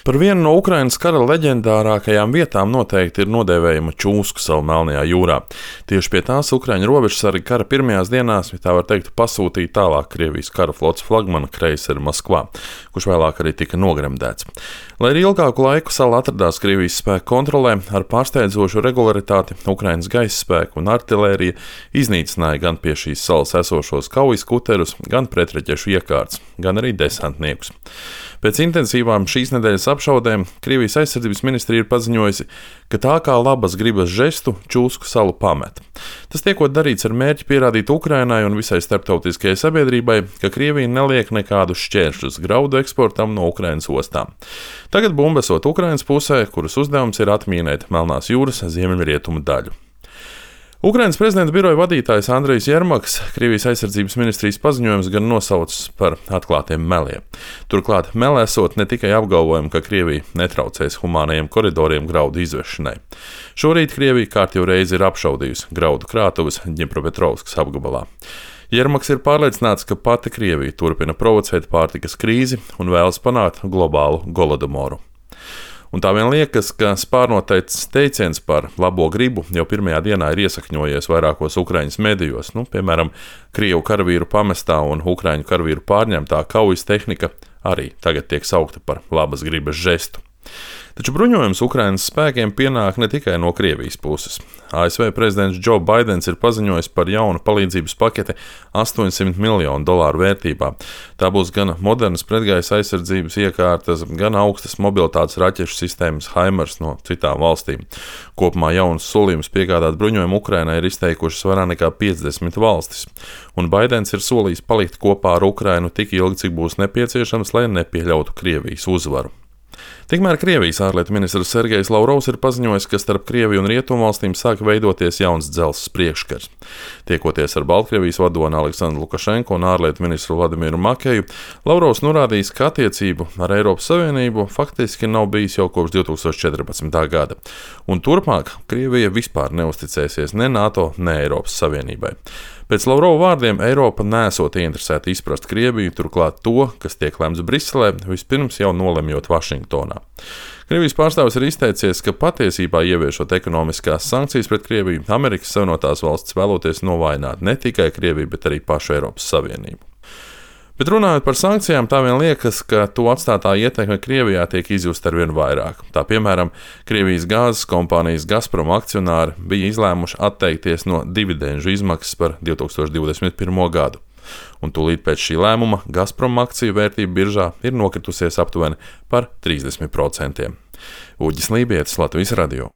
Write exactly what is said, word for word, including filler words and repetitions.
Par vienu no Ukrainas kara leģendārākajām vietām noteikti ir nodēvējama Čūsku sala Melnajā jūrā. Tieši pie tās Ukraiņu robežsargi kara pirmajās dienās, ja tā var teikt, pasūtīja tālāk Krievijas kara flotes flagmana kreiseri Maskvā, kurš vēlāk arī tika nogremdēts. Lai arī ilgāku laiku sala atradās Krievijas spēku kontrolē, ar pārsteidzošu regularitāti Ukrainas gaisa spēku un artilērija iznīcināja gan pie šīs salas esošos kaujas kuterus, gan pretreķešu iekārtas, gan arī desantniekus. Pēc intensīvām šīs nedēļas apšaudēm Krievijas aizsardzības ministrija ir paziņojusi, ka tā kā labas gribas žestu Čūsku salu pamet. Tas tiekot darīts ar mērķi pierādīt Ukrainai un visai starptautiskajai sabiedrībai, ka Krievija neliek nekādus šķēršļus graudu eksportam no Ukrainas ostām. Tagad bumba esot Ukrainas pusē, kuras uzdevums ir atmīnēt Melnās jūras ziemeļrietumu daļu. Ukrainas prezidenta biroja vadītājs Andrejs Jermaks Krievijas aizsardzības ministrijas paziņojums gan nosaucis par atklātiem meliem. Turklāt melē esot ne tikai apgalvojumi, ka Krievija netraucēs humānajiem koridoriem graudu izvešanai. Šorīt Krievija kārtjau reizi ir apšaudījusi graudu krātuves Ņepropetrovskas apgabalā. Jermaks ir pārliecināts, ka pati Krievija turpina provocēt pārtikas krīzi un vēlas panākt globālu golodomoru. Un tā vien liekas, ka spārnotais teiciens par labo gribu jau pirmajā dienā ir iesakņojies vairākos Ukraiņas medijos, nu, piemēram, Krievu karavīru pamestā un Ukraiņu karavīru pārņemtā kaujas tehnika arī tagad tiek saukta par labas gribas žestu. Taču bruņojums Ukrainas spēkiem pienāk ne tikai no Krievijas puses. A S V prezidents Džo Baidens ir paziņojis par jaunu palīdzības paketi astoņsimt miljonu dolāru vērtībā. Tā būs gan modernas pretgaisa aizsardzības iekārtas, gan augstas mobilitātes raķešu sistēmas HIMARS no citām valstīm. Kopumā jaunus solījumus piegādāt bruņojumu Ukrainai ir izteikušas vairāk nekā piecdesmit valstis. Un Baidens ir solījis palikt kopā ar Ukrainu tik ilgi, cik būs nepieciešams, lai nepieļautu Krievijas uzvaru. Tikmēr Krievijas ārlietu ministrs Sergejs Lavrovs ir paziņojis, ka starp Krieviju un Rietumvalstīm sāk veidoties jauns dzelzs priekškars. Tiekoties ar Baltkrievijas vadoni Aleksandru Lukašenko un ārlietu ministru Vladimiru Makeju, Lavrovs norādījis, ka attiecību ar Eiropas Savienību faktiski nav bijis jau kopš divi tūkstoši četrpadsmitā gada. Un turpmāk Krievija vispār neusticēsies ne NATO, ne Eiropas Savienībai. Pēc Lavrova vārdiem Eiropa nesot ieinteresēta izprast Krieviju, turklāt to, kas tiek lemts Briselē, vispirms jau nolemjot Vašingtonā. Krievijas pārstāvis ir izteicies, ka patiesībā ieviešot ekonomiskās sankcijas pret Krieviju, Amerikas Savienotās valstis vēloties novājināt ne tikai Krieviju, bet arī pašu Eiropas Savienību. Bet runājot par sankcijām, tā vien liekas, ka to atstātā ietekme Krievijā tiek izjusta arvien vairāk. Tā piemēram, Krievijas gāzes kompānijas Gazprom akcionāri bija izlēmuši atteikties no dividendžu izmaksas par divi tūkstoši divdesmit pirmo gadu. Un tūlīt pēc šī lēmuma Gazprom akciju vērtība biržā ir nokritusies aptuveni par trīsdesmit procentiem. Uģis Lībietis, Latvijas radio.